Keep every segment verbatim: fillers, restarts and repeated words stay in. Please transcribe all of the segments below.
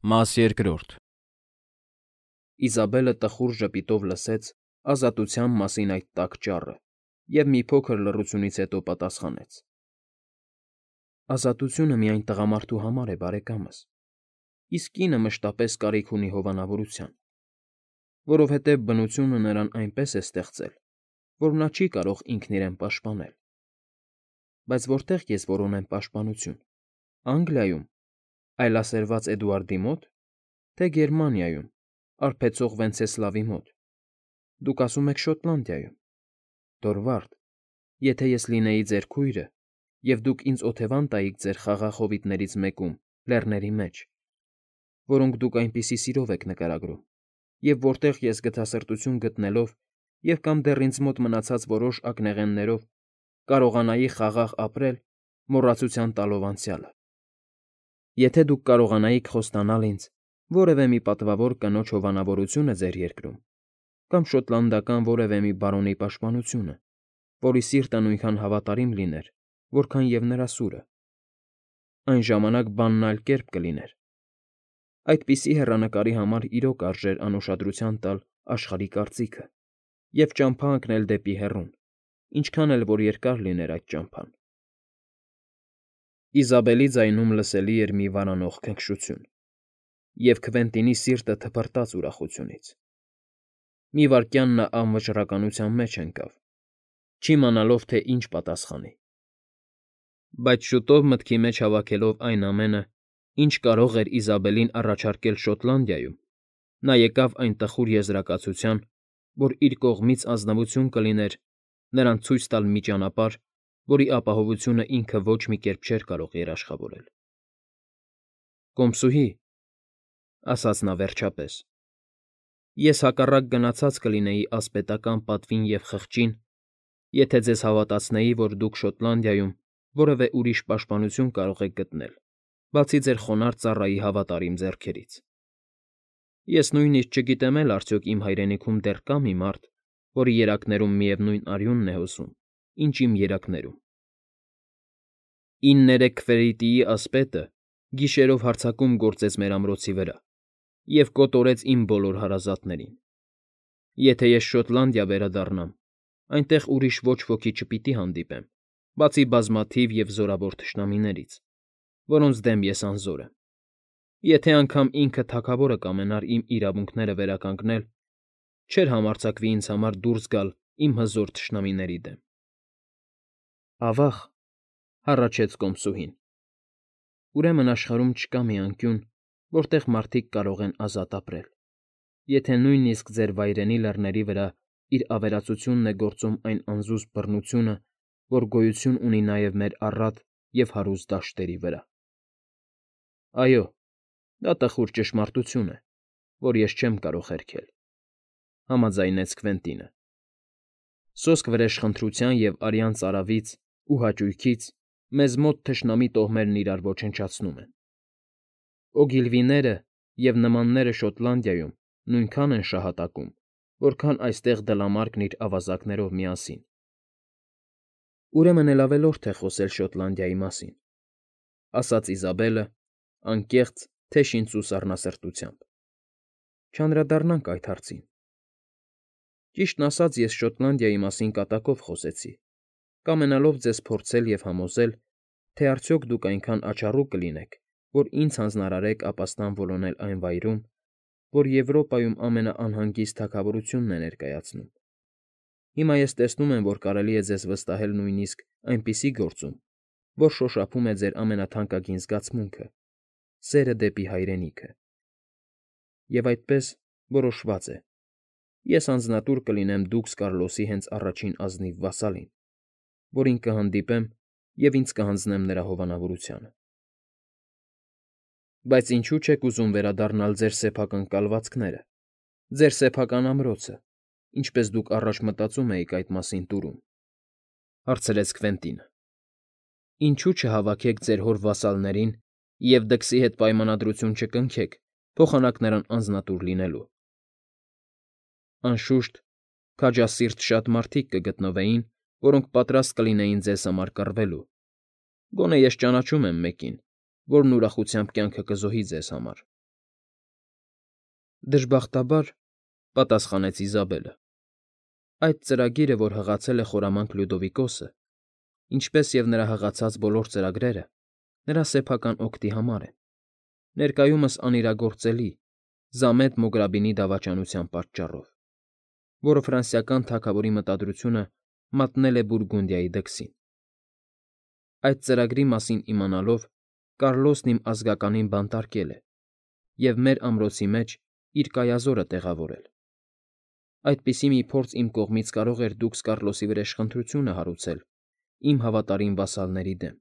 Մաս երկրորդ Իզաբելը տխուր ժպիտով լսեց ազատության մասին այդ տաք ճառը և մի փոքր լռությունից հետո պատասխանեց. ֊ Ազատությունը միայն տղամարդու համար է, բարեկամս, իսկ կինը մշտապես կարիք ունի հովանավորության, որովհետև բնությունը նրան այնպես է ստեղծել, որ նա չի կարող ինքն իրեն պաշտպանել։ Բայց որտե՞ղ ես որոնեմ պաշտպանություն՝ Անգլիայում, այլասերված Էդուարդի մո՞տ, թե Գերմանիայում, արբեցող Վենցեսլավի մոտ։ Դուք ասում եք Շոտլանդիայում։ Դորվարդ, եթե ես լինեի ձեր քույրը, և դուք ինձ օթևան տայիք ձեր խաղաղ հովիտներից մեկում, լեռների մեջ, որոնք դուք այնպիսի սիրով եք նկարագրում, և որտեղ ես գթասրտություն գտնելով և կամ դեռ ինձ մոտ մնացած որոշ ակնեղեններով կարողանայի խաղաղ ապրել՝ մոռացության տալով անցյալը։ Եթե դուք կարողանայիք խոստանալ ինձ որևէ մի պատվավոր կնոջ հովանավորությունը ձեր երկրում, կամ շոտլանդական որևէ մի բարոնի պաշտպանությունը, որի սիրտը նույնքան հավատարիմ լիներ, որքան և նրա սուրը, այն ժամանակ բանն այլ կերպ կլիներ։ Այդպիսի հեռանկարի համար իրոք արժեր անուշադրության տալ աշխարհի կարծիքը և ճամփա ընկնել դեպի հեռուն, ինչքան էլ որ երկար լիներ այդ ճամփան։ Իզաբելի ձայնում լսելի էր մի վարանող քնքշություն, և Քվենտինի սիրտը թպրտաց ուրախությունից։ Մի վայրկյան նա անվճռականության մեջ ընկավ, չիմանալով, թե ինչ պատասխանի։ Բայց շուտով մտքի մեջ հավաքելով այն ամենը, ինչ կարող էր Իզաբելին առաջարկել Շոտլանդիայում, նա եկավ այն տխուր եզրակացության, որ իր կողմից ազնվություն կլիներ նրան ցույց տալ մի ճանապարհ, որի ապահովությունը ինքը ոչ մի կերպ չէր կարող երաշխավորել։ ֊ Կոմսուհի,֊ ասաց նա վերջապես,֊ ես հակառակ գնացած կլինեի ասպետական պատվին և խղճին, եթե ձեզ հավատացնեի, որ դուք Շոտլանդիայում որևէ ուրիշ պաշտպանություն կարող եք գտնել, բացի ձեր խոնարհ ծառայի հավատարիմ ձեռքերից։ Ես նույնիսկ չգիտեմ էլ արդյոք իմ հայրենիքում դեռ կա՞ մի մարդ, որի երակներում միևնույն արյունն է հոսում, ինչ իմ երակներում։ Իններեք Քվերիտիի ասպետը գիշերով հարձակում գործեց մեր ամրոցի վրա և կոտորեց իմ բոլոր հարազատներին։ Եթե ես Շոտլանդիա վերադառնամ, այնտեղ ուրիշ ոչ ոքի չպիտի հանդիպեմ, բացի բազմաթիվ և զորավոր թշնամիներից, որոնց դեմ ես անզոր եմ։ Եթե անգամ ինքը թագավորը կամենար իմ իրավունքները վերականգնել, չէր համարձակվի ինձ համար դուրս գալ իմ հզոր թշնամիների դեմ։ ֊ Ավա՜ղ,֊ հառաչեց կոմսուհին,֊ ուրեմն աշխարհում չկա մի անկյուն, որտեղ մարդիկ կարող են ազատ ապրել, եթե նույնիսկ ձեր վայրենի լեռների վրա իր ավերածությունն է գործում այն անզուսպ բռնությունը, որ գոյություն ունի նաև մեր առատ և հարուստ դաշտերի վրա։ ֊ Այո, դա տխուր ճշմարտություն է, որ ես չեմ կարող հերքել,֊ համաձայնեց Քվենտինը։ Սոսկ վրեժխնդրության և արյան ծարավից ու հաճույքից մեզ մոտ թշնամի տոհմերն իրար ոչնչացնում են։ Օգիլվիները և նմանները Շոտլանդիայում նույնքան են շահատակում, որքան այստեղ դլամարկն իր ավազակներով միասին։ Ուրեմն էլ ավելորդ է խոսել Շոտլանդիայի մասին,֊ ասաց Իզաբելը, անկեղծ, թեշին սառնասրտությամբ։ Չանդրադառնանք այդ հարցին։ Ճիշտն ասած, ես Շոտլանդիայի մասին կատակով խոսեցի, կամենալով ձեզ փորձել և համոզել, թե արդյոք դուք այնքան աչառու կլինեք, որ ինձ հանձնարարեք ապաստան որոնել այն վայրում, որ Եվրոպայում ամենաանհանգիստ թագավորությունն է ներկայացնում։ Հիմա ես տեսնում եմ, որ կարելի է ձեզ վստահել նույնիսկ այնպիսի գործում, որ շոշափում է ձեր ամենաթանկագին զգացմունքը՝ սերը դեպի հայրենիքը։ Եվ այդպես որոշված է. ես անձնատուր կլինեմ դուքս Կարլոսի հենց առաջին ազնիվ վասալին, որին կհանդիպեմ և ինձ կհանձնեմ նրա հովանավորությանը։ ֊ Բայց ինչո՞ւ չեք ուզում վերադառնալ ձեր սեփական կալվածքները, ձեր սեփական ամրոցը, ինչպես դուք առաջ մտածում էիք այդ մասին տուրում,֊ հարցրեց Քվենտինը։ Ինչո՞ւ չհավաքեք ձեր հոր վասալներին և դքսի հետ պայմանադրություն չկնքեք փոխանակ նրան անձնատուր լինելու։ Անշուշտ, քաջասիրտ շատ մարդիկ կգտնվեին, որոնք պատրաստ կլինեին ձեզ համար կռվելու, գոնե ես ճանաչում եմ մեկին, որն ուրախությամբ կյանքը կզոհի ձեզ համար։ Դժբախտաբար, պատասխանեց Իզաբելը, այդ ծրագիրը, որ հղացել է խորամանկ Լյուդովիկոսը, ինչպես և նրա հղացած բոլոր ծրագրերը, նրա սեփական օգտի համար են, ներկայումս անիրագործելի, Զամետ Մոգրաբինի դավաճանության պատճառով, որը ֆրանսիական թագավորի մտադրությունը մատնել է Բուրգունդիայի դքսին։ Այդ ծրագրի մասին իմանալով, Կառլոսն իմ ազգականին բանտարկել է և մեր ամրոցի մեջ իր կայազորը տեղավորել։ Այդպիսի մի փորձ իմ կողմից կարող էր դուքս Կառլոսի վրեժխնդրությունը հարուցել իմ հավատարիմ վասալների դեմ,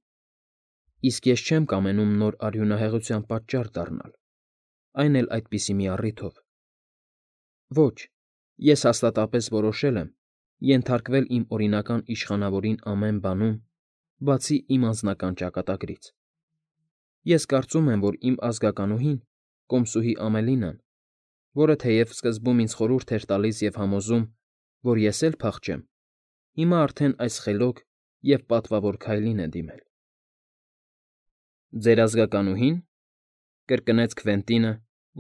իսկ ես չեմ կամենում նոր արյունահեղության պատճառ դառնալ, այն էլ այդպիսի մի առիթով։ Ոչ, ես հաստատապես որոշել եմ ենթարկվել իմ օրինական իշխանավորին ամեն բանում, բացի իմ անձնական ճակատագրից։ Ես կարծում եմ, որ իմ ազգականուհին, կոմսուհի Ամելինան, որը թեև սկզբում ինձ խորհուրդ էր տալիս և համոզում, որ ես էլ փախչեմ, հիմա արդեն այս խելոք և պատվավոր քայլին է դիմել։ ֊ Ձեր ազգականուհի՞ն,֊ կրկնեց Քվենտինը,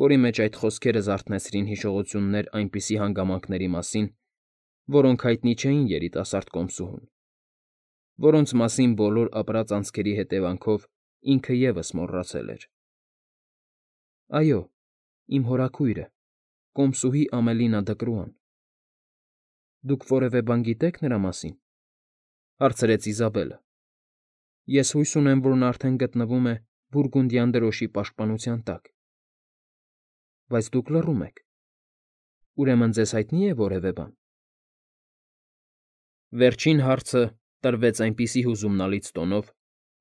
որի մեջ այդ խոսքերը զարթնեցրին հիշողություններ այնպիսի հանգամանքների մասին, որոնք հայտնի չէին երիտասարդ կոմսուհուն, որոնց մասին բոլոր ապրած անցքերի հետևանքով ինքը ևս մոռացել էր։ ֊ Այո, իմ հորաքույրը, կոմսուհի Ամելինա Դկրուան։ ֊ Դուք որևէ բան գիտե՞ք նրա մասին,֊ հարցրեց Իզաբելը։ Ես հույս ունեմ, որ նա արդեն գտնվում է Բուրգունդյան դրոշի պաշտպանության տակ։ ֊ Բայց դուք լռում եք, ուրեմն ձեզ հայտնի՞ է որևէ բան։ Վերջին հարցը տրվեց այնպիսի հուզումնալից տոնով,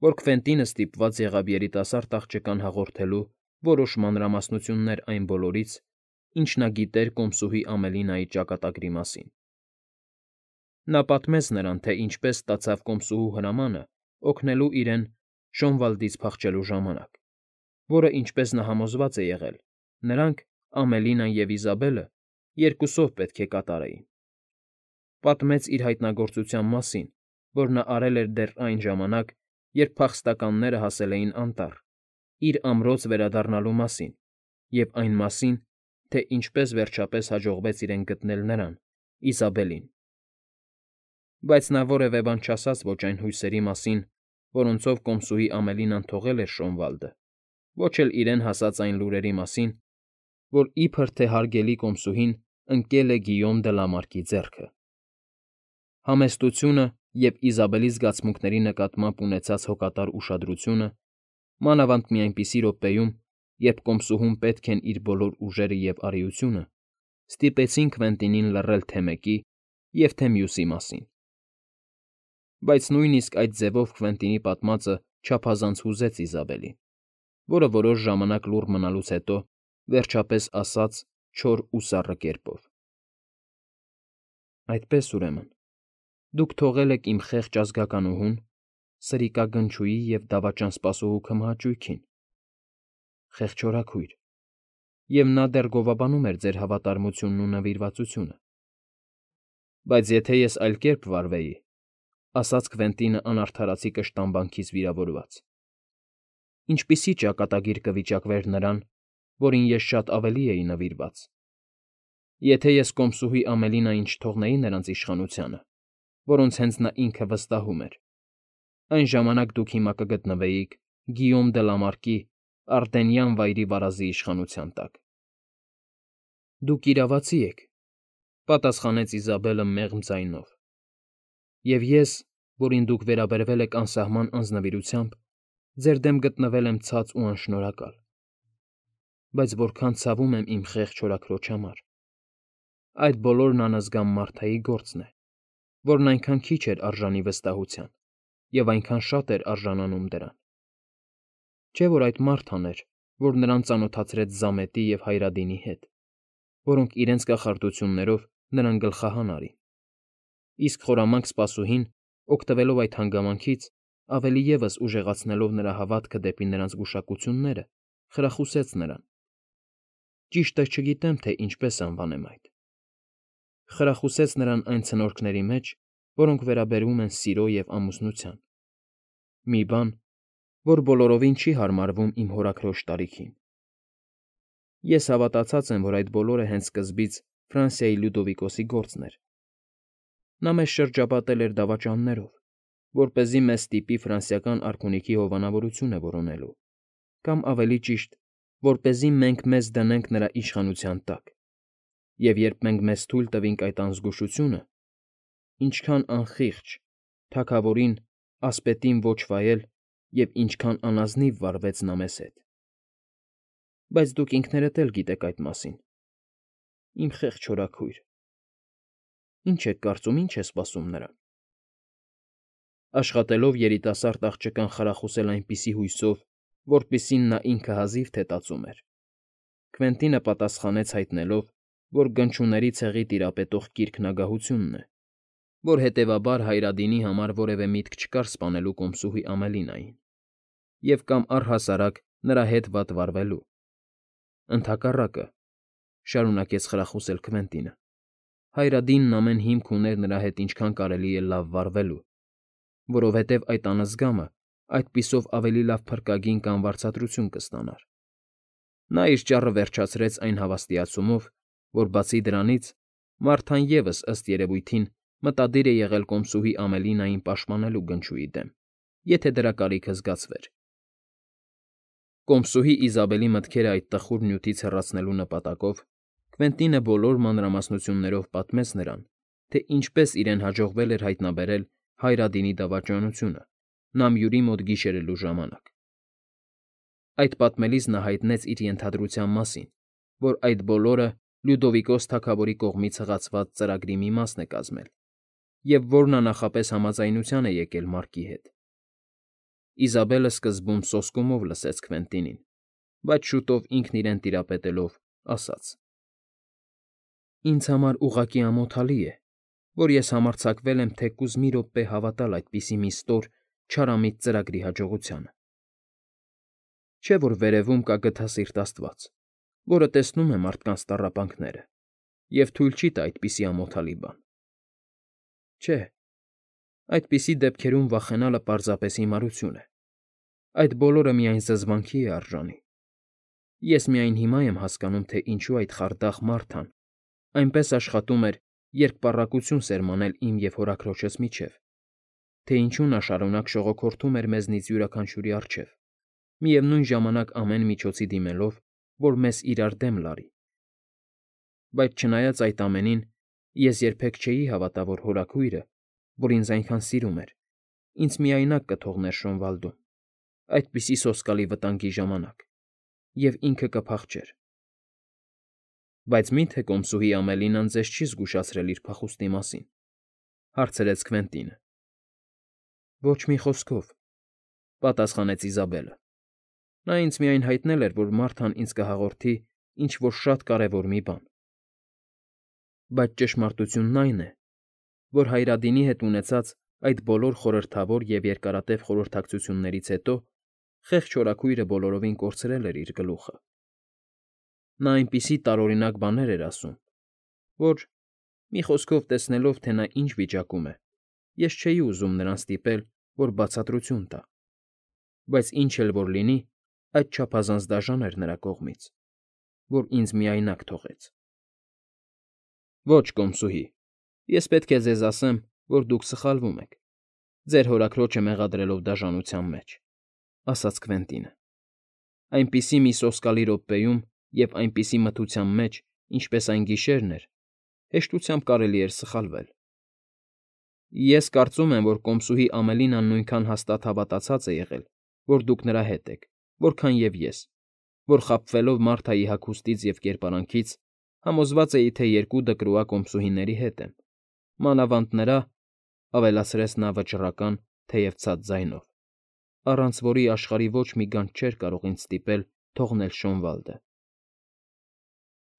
որ Քվենտինը ստիպված եղավ երիտասարդ աղջկան հաղորդելու որոշ մանրամասնություններ այն բոլորից, ինչ նա գիտեր կոմսուհի Ամելինայի ճակատագրի մասին։ Նա պատմեց նրան, թե ինչպես ստացավ կոմսուհու հրամանը օգնելու իրեն Շոնվալդից փախչելու ժամանակ, որը, ինչպես նա համոզված է եղել, նրանք՝ Ամելինան և Իզաբելը, երկուսով պետք է կատարեին։ Պատմեց իր հայտնագործության մասին, որ նա արել էր դեռ այն ժամանակ, երբ փախստականները հասել էին անտառ, իր ամրոց վերադառնալու մասին և այն մասին, թե ինչպես վերջապես հաջողվեց իրեն գտնել նրան՝ Իզաբելին։ Բայց նա որևէ բան չասաց ոչ այն հույսերի մասին, որոնցով կոմսուհի Ամելինան թողել էր Շոնվալդը, ոչ էլ իրեն հասած այն լուրերի մասին, որ իբր թե հարգելի կոմսուհին ընկել է Գիյոմ դը Լամարկի ձեռքը։ Համեստությունը և Իզաբելի զգացմունքների նկատմամբ ունեցած հոգատար ուշադրությունը, մանավանդ մի այնպիսի րոպեում, երբ կոմսուհուն պետք են իր բոլոր ուժերը և արիությունը, ստիպեցին Քվենտինին լռել թե մեկի և թե մյուսի մասին։ Բայց նույնիսկ այդ ձևով Քվենտինի պատմածը չափազանց հուզեց Իզաբելին, որը որոշ ժամանակ լուռ մնալուց հետո վերջապես ասաց չոր ու սառը կերպով. ֊ Այդպես, ուրեմն, դուք թողել եք իմ խեղճ ազգականուհուն, սրիկագնչուի և դավաճան սպասուհու քմահաճույքին, խեղճ հորաքույր, և նա դեռ գովաբանում էր ձեր հավատարմությունն ու նվիրվածությունը։ Բայց եթե ես այլ կերպ վարվեի,֊ ասաց Քվենտինը անարդարացի կշտամբանքից վիրավորված,֊ ինչպիսի՞ ճակատագիր կվիճակվեր նրան, որին ես շատ ավելի էի նվիրված։ Եթե ես կոմսուհի Ամելինային չթողնեի նրանց իշխանությանը, որոնց հենց նա ինքը վստահում էր, այն ժամանակ դուք հիմա կգտնվեիք Գիյոմ դը Լամարկի Արտենյան վայրի վարազի իշխանության տակ։ ֊ Դուք իրավացի եք,֊ պատասխանեց Իզաբելը մեղմ ձայնով,֊ և ես, որին դուք վերաբերվել եք անսահման անձնվիրությամբ, ձեր դեմ գտնվել եմ ցած ու անշնորհակալ։ Բայց որքան ցավում եմ իմ խեղճ հորաքրոջ համար։ Այդ բոլորն անզգա մարդայի գործն է, որն այնքան քիչ էր արժանի վստահության և այնքան շատ էր արժանանում դրան։ Չէ՞ որ այդ մարդն էր, որ նրան ծանոթացրեց Զամետի և Հայրադինի հետ, որոնք իրենց կախարդություններով նրան գլխահան արին, իսկ խորամանկ սպասուհին, օգտվելով այդ հանգամանքից, ավելի ևս ուժեղացնելով նրա հավատքը դեպի նրանց գուշակությունները, խրախուսեց նրան։ Ճիշտը չգիտեմ, թե ինչպես անվանեմ այդ։ Խրախուսեց նրան այն ցնորքների մեջ, որոնք վերաբերում են սիրո և ամուսնության։ Մի բան, որ բոլորովին չի հարմարվում իմ հորաքրոջ տարիքին։ Ես հավատացած եմ, որ այդ բոլորը հենց սկզբից Ֆրանսիայի Լյուդովիկոսի գործն էր։ Նա մեզ շրջապատել էր դավաճաններով, որպեսզի մեզ ստիպի ֆրանսիական արքունիքի հովանավորությունը որոնելու, կամ ավելի ճիշտ, որպեսզի մենք մեզ դնենք նրա իշխանության տակ։ Եվ երբ մենք մեզ թույլ տվինք այդ անզգուշությունը, ինչքան անխիղճ, թագավորին, ասպետին ոչ վայել և ինչքան անազնիվ վարվեց նա մեզ հետ։ Բայց դուք ինքներդ էլ գիտեք այդ մասին, իմ խեղճ հորաքույր։ Ինչ եք կարծում, ինչ է սպասում նրան։ Աշխատելով երիտասարդ աղջկան խրախուսել այնպիսի հույսով, որպիսին նա ինքը հազիվ թե տածում էր, Քվենտինը պատասխանեց հայտնելով, որ գնչուների ցեղի տիրապետող կիրքն ագահությունն է, որ հետևաբար Հայրադինի համար որևէ միտք չկար սպանելու կոմսուհի Ամելինային և կամ առհասարակ նրա հետ վատ վարվելու։ Ընդհակառակը, շարունակեց խրախուսել Քվենտինը, Հայրադինն ամեն հիմք ուներ նրա հետ ինչքան կարելի է լավ վարվելու, որովհետև այդ անզգամը այդպիսով ավելի լավ փրկագին կամ վարձատրություն կստանար։ Նա իր ճառը վերջացրեց այն հավաստիացումով, որ բացի դրանից Մարթան ևս ըստ երևույթին մտադիր է եղել կոմսուհի Ամելինային պաշտպանելու գնչուի դեմ, եթե դրա կարիքը զգացվեր։ Կոմսուհի Իզաբելի մտքերը այդ տխուր նյութից հեռացնելու նպատակով Քվենտինը բոլոր մանրամասնություններով պատմեց նրան, թե ինչպես իրեն հաջողվել էր հայտնաբերել Հայրադինի դավաճանությունը Նամյուրի մոտ գիշերելու ժամանակ։ Այդ պատմելիս նա հայտնեց իր ենթադրության մասին, որ այդ բոլորը Լյուդովիկոս թագավորի կողմից հղացված ծրագրի մի մասն է կազմել, և որ նա նախապես համաձայնության է եկել Մարկի հետ։ Իզաբելը սկզբում սոսկումով լսեց Քվենտինին, բայց շուտով ինքն իրեն տիրապետելով ասաց. Ինձ համար ուղղակի ամոթալի է, որ ես համարձակվել եմ թեկուզ մի րոպե հավատալ այդպիսի մի ստոր, չարամիտ ծրագրի հաջողությանը։ Չէ՞ որ վերևում կա գթասիրտ աստված, որը տեսնում է մարդկանց տառապանքները և թույլ չի տա այդպիսի ամոթալի բան։ Չէ, այդպիսի դեպքերում վախենալը պարզապես հիմարություն է։ Այդ բոլորը միայն զզվանքի է արժանի։ Ես միայն հիմա եմ հասկանում, թե ինչու այդ խարդախ Մարթան այնպես աշխատում էր երկպառակություն սերմանել իմ և հորաքրոջս միջև, թե ինչու նա շարունակ շողոքորթում էր մեզնից յուրաքանչյուրի առջև, միևնույն ժամանակ ամեն միջոցի դիմելով, որ մեզ իրար դեմ լարի։ Բայց չնայած այդ ամենին, ես երբեք չէի հավատա, որ հորաքույրը, որ ինձ այնքան սիրում էր, ինձ միայնակ կթողներ Շոնվալդում, այդպիսի սոսկալի վտանգի ժամանակ, և ինքը կփախչեր։ Բայց մի՞թե կոմսուհի Ամելինան ձեզ չի զգուշացրել իր փախուստի մասին, հարցրեց Քվենտինը։ Ոչ մի խոսքով, պատասխանեց Իզաբելը։ Նա ինձ միայն հայտնել էր, որ Մարթան ինձ կհաղորդի ինչ֊որ շատ կարևոր մի բան։ Բայց ճշմարտությունն այն է, որ Հայրադինի հետ ունեցած այդ բոլոր խորհրդավոր և երկարատև խորհրդակցություններից հետո խեղճ հորաքույրը բոլորովին կորցրել էր իր գլուխը։ Նա այնպիսի տարօրինակ բաներ էր ասում, որ, մի խոսքով տեսնելով, թե նա ինչ վիճակում է, ես չէի ուզում նրան ստիպել, որ բացատրություն տա, բայց ինչ էլ որ լինի, այդ չափազանց դաժան էր նրա կողմից, որ ինձ միայնակ թողեց։ Ոչ, կոմսուհի, ես պետք է ձեզ ասեմ, որ դուք սխալվում եք, ձեր հորաքրոջը մեղադրելով դաժանության մեջ, ասաց Քվենտինը։ Այնպիսի մի սոսկալի րոպեում և այնպիսի մթության մեջ, ինչպես այն գիշերն էր, հեշտությամբ կարելի էր սխալվել։ Ես կարծում եմ, որ կոմսուհի Ամելինան նույնքան հաստատ հավատացած է եղել, որ դուք նրա հետ եք, որքան և ես, որ խաբվելով Մարթայի հագուստից և կերպարանքից, համոզված էի, թե երկու դկրուա կոմսուհիների հետ եմ, մանավանդ նրա, ավելացրեց նա վճռական, թեև ցած ձայնով, առանց որի աշխարհի ոչ մի գանձ չէր կարող ինձ ստիպել թողնել Շոնվալդը։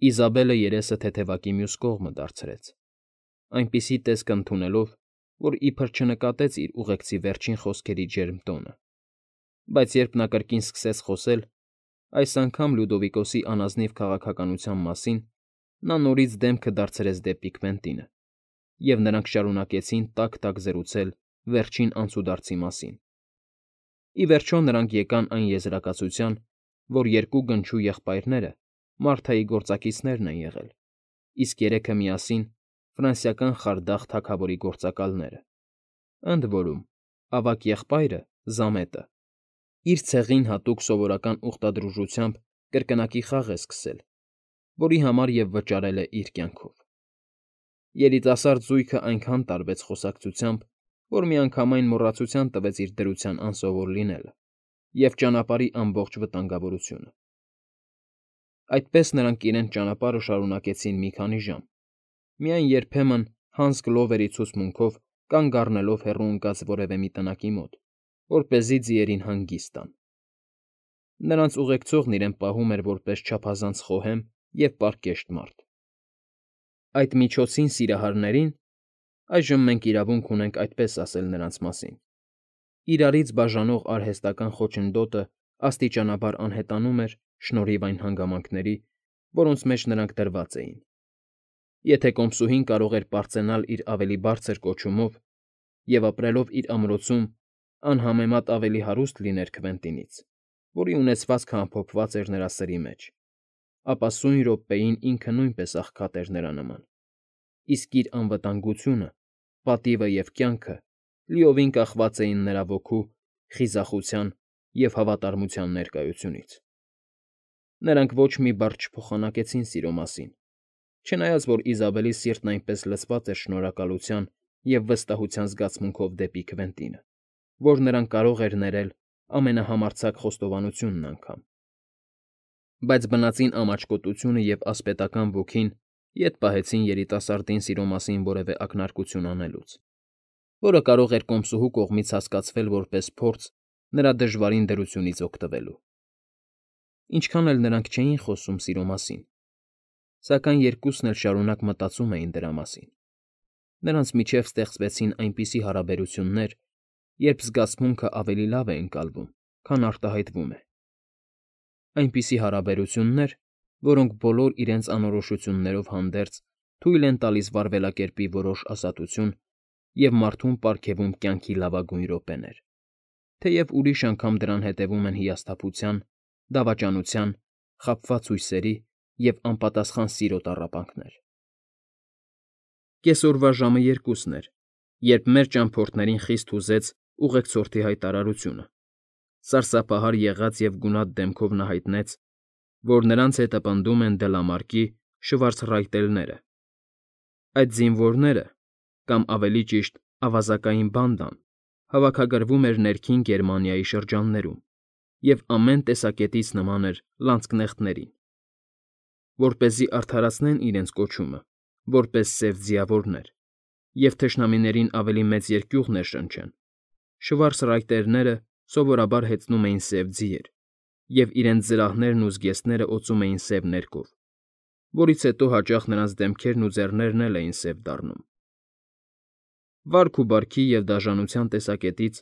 Իզաբելը երեսը թեթևակի մյուս կողմը դարձրեց, այնպիսի տեսք ընդունելով, որ իբր չնկատեց իր ուղեկցի վերջին խոսքերի ջերմ տոնը, բայց երբ նա կրկին սկսեց խոսել, այս անգամ Լյուդովիկոսի անազնիվ քաղաքականության մասին, նա նորից դեմքը դարձրեց դեպի Քվենտինը, և նրանք շարունակեցին տաք֊տաք զրուցել վերջին անցուդարձի մասին։ Ի վերջո նրանք եկան այն եզրակացության, որ երկու գնչու եղբայրները Մարթայի գործակիցներն են եղել, իսկ երեքը միասին ֆրանսիական խարդախ թագավորի գործակալները, ընդ որում ավագ եղբայրը՝ Զամետը, իր ցեղին հատուկ սովորական ուխտադրուժությամբ կրկնակի խաղ է սկսել, որի համար և վճարել է իր կյանքով։ Երիտասարդ զույգը այնքան տարվեց խոսակցությամբ, որ միանգամայն մոռացության տվեց իր դրության անսովոր լինելը և ճանապարհի ամբողջ վտանգավորությունը։ Այդպես նրանք իրենց ճանապարհը շարունակեցին մի քանի ժամ, միայն երբեմն Հանս Գլովերի ցուցմունքով կանգ առնելով հեռու ընկած որևէ մի տնակի մոտ, որպեսզի ձիերին հանգիստ տան։ Նրանց ուղեկցողն իրեն պահում էր որպես չափազանց խոհեմ և պարկեշտ մարդ։ Այդ միջոցին սիրահարներին (այժմ մենք իրավունք ունենք այդպես ասել նրանց մասին) իրարից բաժանող արհեստական խոչընդոտը աստիճանաբար անհետանում էր շնորհիվ այն հանգամանքների, որոնց մեջ նրանք դրված էին։ Եթե կոմսուհին կարող էր պարծենալ իր ավելի բարձր կոչումով և, ապրելով իր ամրոցում, անհամեմատ ավելի հարուստ լիներ Քվենտինից, որի ունեցվածքը ամփոփված էր նրա սրի մեջ, ապա սույն րոպեին ինքը նույնպես աղքատ էր նրա նման, իսկ իր անվտանգությունը, պատիվը և կյանքը լիովին կախված էին նրա ոգու, խիզախության և հավատարմության ներկայությունից։ Նրանք ոչ մի բառ չփոխանակեցին սիրո մասին, չնայած որ Իզաբելի սիրտն այնպես լցված էր շնորհակալության և վստահության զգացմունքով դեպի Քվենտինը, որ նրան կարող էր ներել ամենահամարձակ խոստովանությունն անգամ։ Բայց բնածին ամաչկոտությունը և ասպետական ոգին ետ պահեցին երիտասարդին սիրո մասին որևէ ակնարկություն անելուց, որը կարող էր կոմսուհու կողմից հասկացվել որպես փորձ նրա դժվարին դրությունից օգտվելու։ Ինչքան էլ նրանք չէին խոսում սիրո մասին, սակայն երկուսն էլ շարունակ մտածում էին դրա մասին։ Նրանց միջև ստեղծվեցին այնպիսի հարաբերություններ, երբ զգացմունքը ավելի լավ է ընկալվում, քան արտահայտվում է։ Այնպիսի հարաբերություններ, որոնք բոլոր իրենց անորոշություններով հանդերձ թույլ են տալիս վարվելակերպի որոշ ազատություն և մարդուն պարգևում կյանքի լավագույն րոպեներ, թեև ուրիշ անգամ դրան հետևում են հիասթափության, դավաճանության, խաբված հույսերի և անպատասխան սիրո տառապանքներ։ Կեսօրվա ժամը երկուսն էր, երբ մեր ճամփորդներին խիստ հուզեց ուղեկցորդի հայտարարությունը։ Սարսափահար եղած և գունատ դեմքով նա հայտնեց, որ նրանց հետը պնդում են Դելամարկի շվարցրայտելները։ Այդ զինվորները, կամ ավելի ճիշտ ավազակային բանդան, հավաքագրվում էր Ներքին Գերմանիայի շրջաններում և ամեն տեսակետից նման էր լանցկնեղտներին։ Որպեսզի արդարացնեն իրենց կոչումը որպես սև ձիավորներ և թշնամիներին ավելի մեծ երկյուղ ներշնչեն, շվարցրայտերները սովորաբար հեծնում էին սև ձիեր և իրենց զրահներն ու զգեստները օծում էին սև ներկով, որից հետո հաճախ նրանց դեմքերն ու ձեռներն էլ էին սև դառնում։ Վարք ու բարքի և դաժանության տեսակետից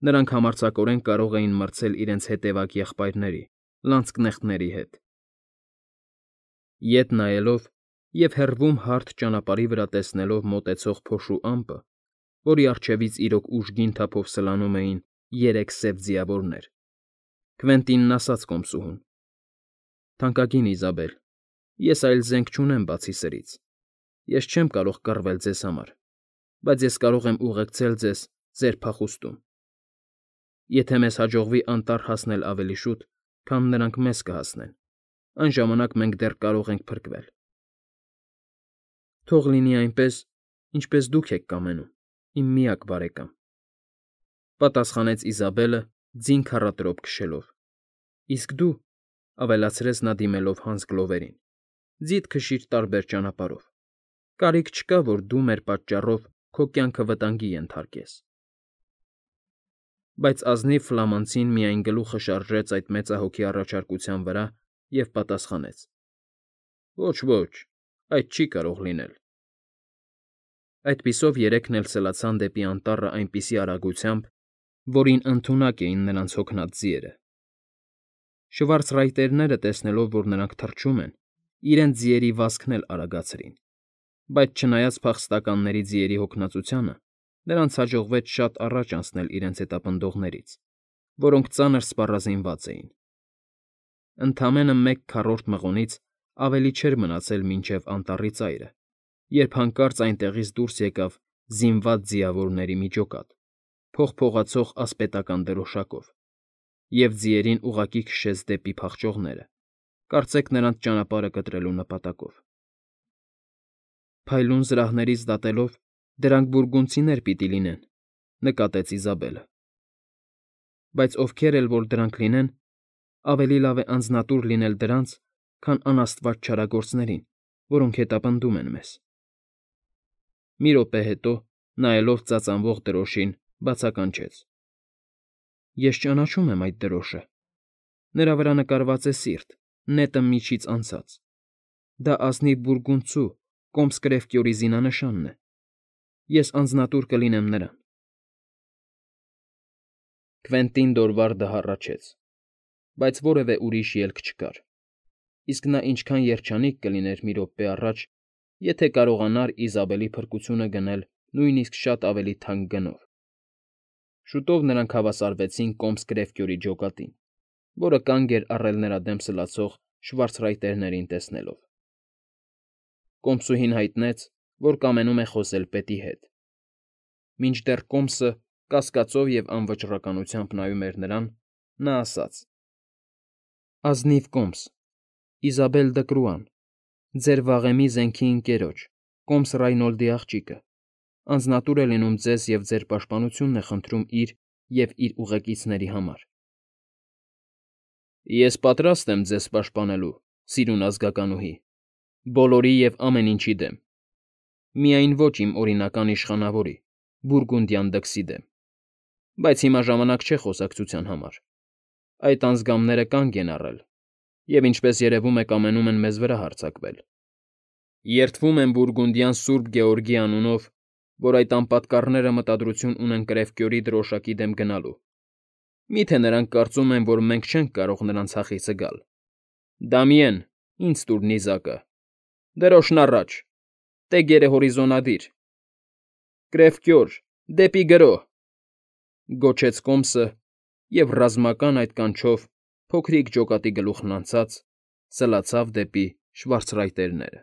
նրանք համարձակորեն կարող էին մրցել իրենց հետևակ եղբայրների՝ լանցկնեղտների հետ։ Ետ նայելով և հեռվում հարթ ճանապարհի վրա տեսնելով մոտեցող փոշու ամպը, որի առջևից իրոք ուժգին թափով սլանում էին երեք սև ձիավորներ, Քվենտինն ասաց կոմսուհուն. «Թանկագին Իզաբել, ես այլ զենք չունեմ բացի սրից, ես չեմ կարող կռվել ձեզ համար, բայց ես կարող եմ ուղեկցել ձեզ ձեր փախուստում։ Եթե մեզ հաջողվի անտառ հասնել ավելի շուտ, քան նրանք մեզ կհասնեն, այն ժամանակ մենք դեռ կարող ենք փրկվել»։ «Թող լինի այնպես, ինչպես դուք եք կամենում, իմ միակ բարեկամ», ֊ պատասխանեց Իզաբելը ձին քառատրոպ քշելով։ «Իսկ դու,֊ ավելացրեց նա դիմելով Հանս Գլովերին,֊ ձիդ քշիր տարբեր ճանապարհով, կարիք չկա, որ դու մեր պատճառով քո կյանքը վտանգի ենթարկես»։ Բայց ազնիվ ֆլամանցին միայն գլուխը շարժեց այդ մեծահոգի առաջարկության վրա և պատասխանեց. «Ոչ, ոչ, այդ չի կարող լինել»։ Այդպիսով երեքն էլ սլացան դեպի անտառը այնպիսի արագությամբ, որին ընդունակ էին նրանց հոգնած ձիերը։ Շվարցրայտերները, տեսնելով, որ նրանք թռչում են, իրենց ձիերի վազքն էլ արագացրին, բայց չնայած փախստականների ձիերի հոգնածությանը, նրանց հաջողվեց շատ առաջ անցնել իրենց հետապնդողներից, որոնք ծանր սպառազինված էին։ Ընդամենը մեկ քառորդ մղոնից ավելի չէր մնացել մինչև անտառի ծայրը, երբ հանկարծ այնտեղից դուրս եկավ զինված ձիավորների մի ջոկատ, փողփողացող ասպետական դրոշակով, և ձիերին ուղղակի քշեց դեպի փախչողները, կարծեք նրանց ճանապարհը կտրելու նպատակով։ Փայլուն զրահներից դատելով, դրանք բուրգունդցիներ պիտի լինեն, նկատեց Իզաբելը։ Բայց ովքեր էլ որ դրանք լինեն, ավելի լավ է անձնատուր լինել դրանց, քան անաստված չարագործներին, որոնք հետապնդում են մեզ։ Մի րոպե հետո, նայելով ծածանվող դրոշին, բացականչեց. Ես ճանաչում եմ այդ դրոշը։ Նրա վրա նկարված է սիրտ, նետը միջից անցած։ Դա ազնիվ բուրգունդցու Կոմս Կրևկյորի զինանշանն է։ Ես անձնատուր կլինեմ նրան։ Կվենտին Դորվարդը հառաչեց, բայց որևէ ուրիշ ելք չկար, իսկ նա ինչքան երջանիկ կլիներ մի րոպե առաջ, եթե կարողանար Իզաբելի փրկությունը գնել նույնիսկ շատ ավելի թանկ գնով։ Շուտով նրանք հավասարվեցին Կոմս Կրևկյորի ջոկատին, որը կանգ էր առել նրա դեմ սլացող շվարցրայտերներին տեսնելով։ Կոմսուհին հայտնեց, որ կամենում է խոսել պետի հետ։ Մինչդեռ Կոմսը կասկածով և անվճռականությամբ նայում էր նրան, նա ասաց. Ազնիվ Կոմս, Իզաբել Դկրուան, ձեր վաղեմի զենքի ընկերոջ, Կոմս Ռայնոլդի աղջիկը, անձնատուր է լինում ձեզ և ձեր պաշտպանությունն է խնդրում իր և իր ուղեկիցների համար։ Ես պատրաստ եմ ձեզ պաշտպանելու, սիրուն ազգականուհի, բոլորի և ամեն ինչի դեմ, միայն ոչ իմ օրինական իշխանավորի՝ Բուրգունդյան դքսի դեմ, բայց հիմա ժամանակ չէ խոսակցության համար, այդ անձգամները կանգ են առել և, ինչպես երևում է, կամենում են մեզ վրա հարձակվել։ Երդվում եմ Բուրգունդյան Սուրբ Գեորգի անունով, որ այդ անպատկառները մտադրություն ունեն Կրևկյորի դրոշակի դեմ գնալու։ Մի՞թե նրանք կարծում են, որ մենք չենք կարող նրանց հախիցը գալ։ Դամիեն, ինձ տուր նիզակը։ Դրոշն առաջ, տեգերը հորիզոնադիր։ Կրևկյոր, դեպի գրո…֊ գոչեց Կոմսը և ռազմական այդ կանչով, փոքրիկ ջոկատի գլուխն անցած, սլացավ դեպի շվարցրայտերները։